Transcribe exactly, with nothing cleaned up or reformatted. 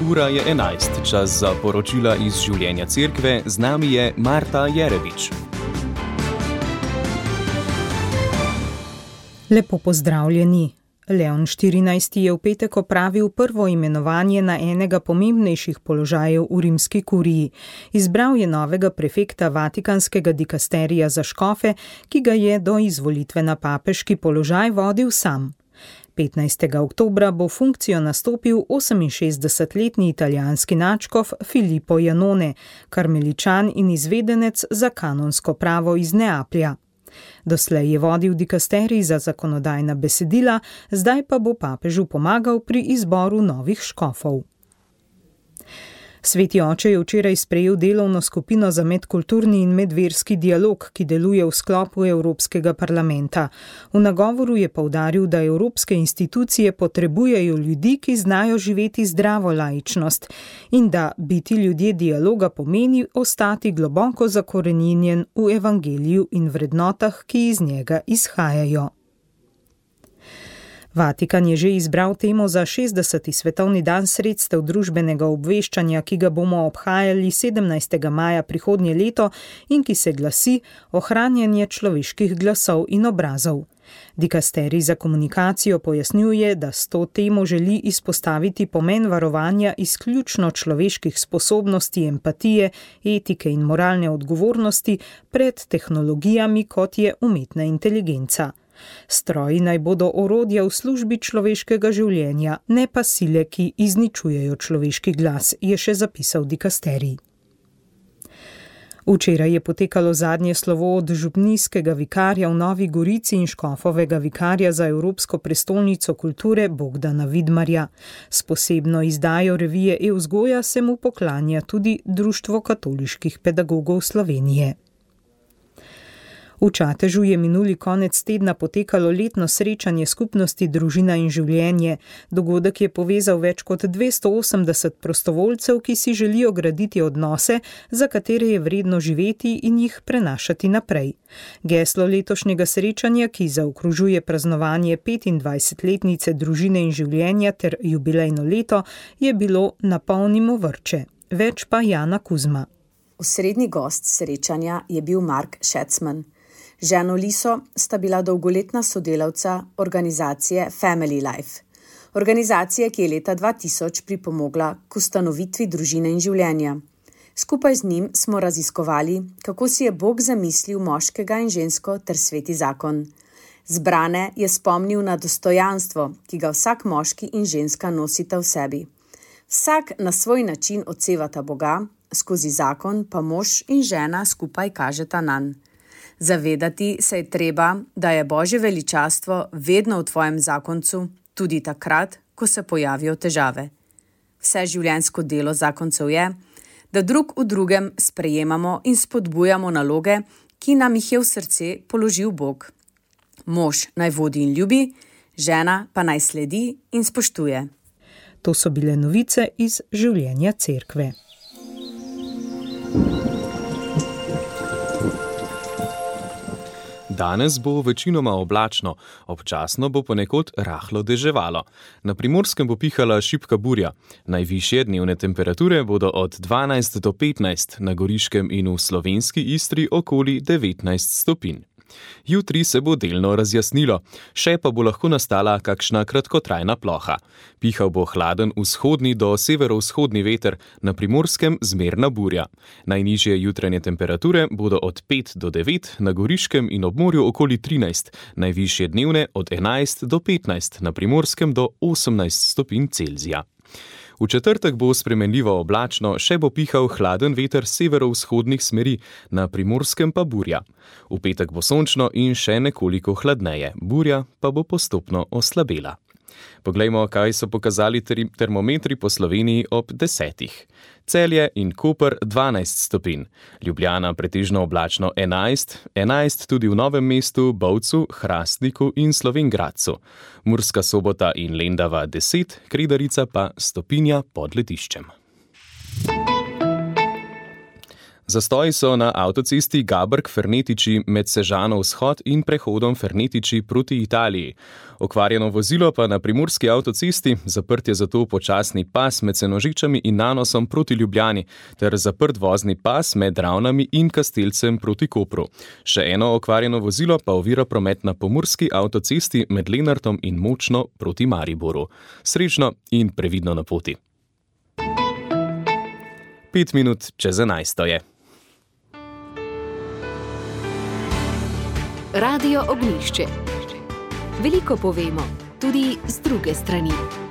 Ura je enajst, čas za poročila iz življenja cerkve, z nami je Marta Jerebič. Lepo pozdravljeni. Leon štirinajsti je v petek opravil prvo imenovanje na enega pomembnejših položajev v rimski kuriji. Izbral je novega prefekta Vatikanskega dikasterija za škofe, ki ga je do izvolitve na papeški položaj vodil sam. petnajstega oktobra bo funkcijo nastopil oseminšestdesetletni italijanski nadškof Filippo Janone, karmeličan in izvedenec za kanonsko pravo iz Neaplja. Doslej je vodil dikasterij za zakonodajna besedila, zdaj pa bo papežu pomagal pri izboru novih škofov. Sveti oče je včeraj sprejel delovno skupino za medkulturni in medverski dialog, ki deluje v sklopu Evropskega parlamenta. V nagovoru je poudaril, da evropske institucije potrebujejo ljudi, ki znajo živeti zdravo laičnost in da biti ljudje dialoga pomeni ostati globoko zakoreninjen v evangeliju in vrednotah, ki iz njega izhajajo. Vatikan je že izbral temo za šestdeseti svetovni dan sredstev družbenega obveščanja, ki ga bomo obhajali sedemnajstega maja prihodnje leto in ki se glasi ohranjanje človeških glasov in obrazov. Dikasterij za komunikacijo pojasnjuje, da s to temo želi izpostaviti pomen varovanja izključno človeških sposobnosti, empatije, etike in moralne odgovornosti pred tehnologijami, kot je umetna inteligenca. Stroji naj bodo orodja v službi človeškega življenja, ne pa sile, ki izničujejo človeški glas, je še zapisal dikasterij. Včeraj je potekalo zadnje slovo od župnijskega vikarja v Novi Gorici in škofovega vikarja za Evropsko prestolnico kulture Bogdana Vidmarja. S posebno izdajo revije E-vzgoja se mu poklanja tudi Društvo katoliških pedagogov Slovenije. V Čatežu je minuli konec tedna potekalo letno srečanje skupnosti Družina in življenje. Dogodek je povezal več kot dvesto osemdeset prostovoljcev, ki si želijo graditi odnose, za katere je vredno živeti in jih prenašati naprej. Geslo letošnjega srečanja, ki zaokrožuje praznovanje petindvajsetletnice Družine in življenja ter jubilejno leto, je bilo Napolnimo vrče. Več pa Jana Kuzma. Osrednji gost srečanja je bil Mark Schätzman. Ženo Liso sta bila dolgoletna sodelavca organizacije Family Life. Organizacije, ki je leta dva tisoč pripomogla k ustanovitvi Družine in življenja. Skupaj z njim smo raziskovali, kako si je Bog zamislil moškega in žensko ter sveti zakon. Zbrane je spomnil na dostojanstvo, ki ga vsak moški in ženska nosita v sebi. Vsak na svoj način odsevata Boga, skozi zakon pa mož in žena skupaj kažeta nanj. Zavedati se je treba, da je Božje veličastvo vedno v tvojem zakoncu, tudi takrat, ko se pojavijo težave. Vse življenjsko delo zakoncev je, da drug v drugem sprejemamo in spodbujamo naloge, ki nam jih je v srce položil Bog. Mož naj vodi in ljubi, žena pa naj sledi in spoštuje. To so bile novice iz življenja cerkve. Danes bo večinoma oblačno, občasno bo ponekod rahlo deževalo. Na Primorskem bo pihala šibka burja. Najvišje dnevne temperature bodo od dvanajst do petnajst, na Goriškem in v slovenski Istri okoli devetnajst stopinj. Jutri se bo delno razjasnilo, še pa bo lahko nastala kakšna kratkotrajna ploha. Pihal bo hladen vzhodni do severovzhodni veter, na Primorskem zmerna burja. Najnižje jutranje temperature bodo od pet do devet, na Goriškem in ob morju okoli trinajst, najvišje dnevne od enajst do petnajst, na Primorskem do osemnajst stopinj Celzija. V četrtek bo spremenljivo oblačno, še bo pihal hladen veter severovzhodnih smeri, na Primorskem pa burja. V petek bo sončno in še nekoliko hladneje, burja pa bo postopno oslabela. Poglejmo, kaj so pokazali termometri po Sloveniji ob desetih. Celje in Koper dvanajst stopinj, Ljubljana pretežno oblačno enajst, enajst tudi v Novem mestu, Bovcu, Hrastniku in Slovenj Gradcu. Murska Sobota in Lendava deset, Kredarica pa stopinja pod letiščem. Zastoji so na avtocesti Gabrk-Fernetiči med Sežano vzhod in prehodom Fernetiči proti Italiji. Okvarjeno vozilo pa na primorski avtocesti, zaprt je zato počasni pas med Senožičami in Nanosom proti Ljubljani, ter zaprt vozni pas med Ravnami in Kastelcem proti Kopru. Še eno okvarjeno vozilo pa ovira promet na pomurski avtocesti med Lenartom in Močno proti Mariboru. Srečno in previdno na poti. Pet minut čez enajsto je. Radio Ognjišče. Veliko povemo, tudi z druge strani.